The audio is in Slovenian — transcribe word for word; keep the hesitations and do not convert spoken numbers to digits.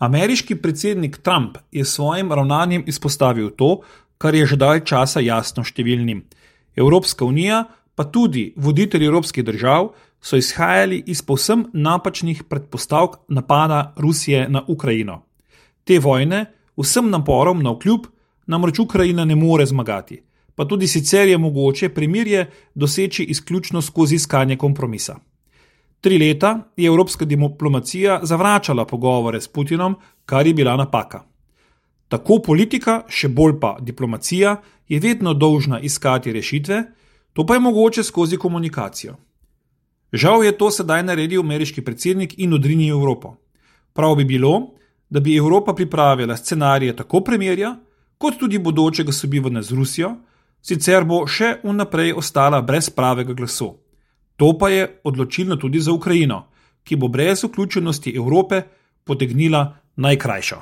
Ameriški predsednik Trump je s svojim ravnanjem izpostavil to, kar je že dalj časa jasno številnim. Evropska unija, pa tudi voditelji evropskih držav, so izhajali iz povsem napačnih predpostavk napada Rusije na Ukrajino. Te vojne, vsem naporom navkljub, namreč Ukrajina ne more zmagati, pa tudi sicer je mogoče premirje doseči izključno skozi iskanje kompromisa. Tri leta je evropska diplomacija zavračala pogovore s Putinom, kar je bila napaka. Tako politika, še bolj pa diplomacija, je vedno dolžna iskati rešitve, to pa je mogoče skozi komunikacijo. Žal je to sedaj naredil ameriški predsednik in odrinil Evropo. Prav bi bilo, da bi Evropa pripravila scenarije tako premirja, kot tudi bodočega sobivanja z Rusijo, sicer bo še vnaprej ostala brez pravega glasu. To pa je odločilno tudi za Ukrajino, ki bo brez vključenosti Evrope potegnila najkrajšo.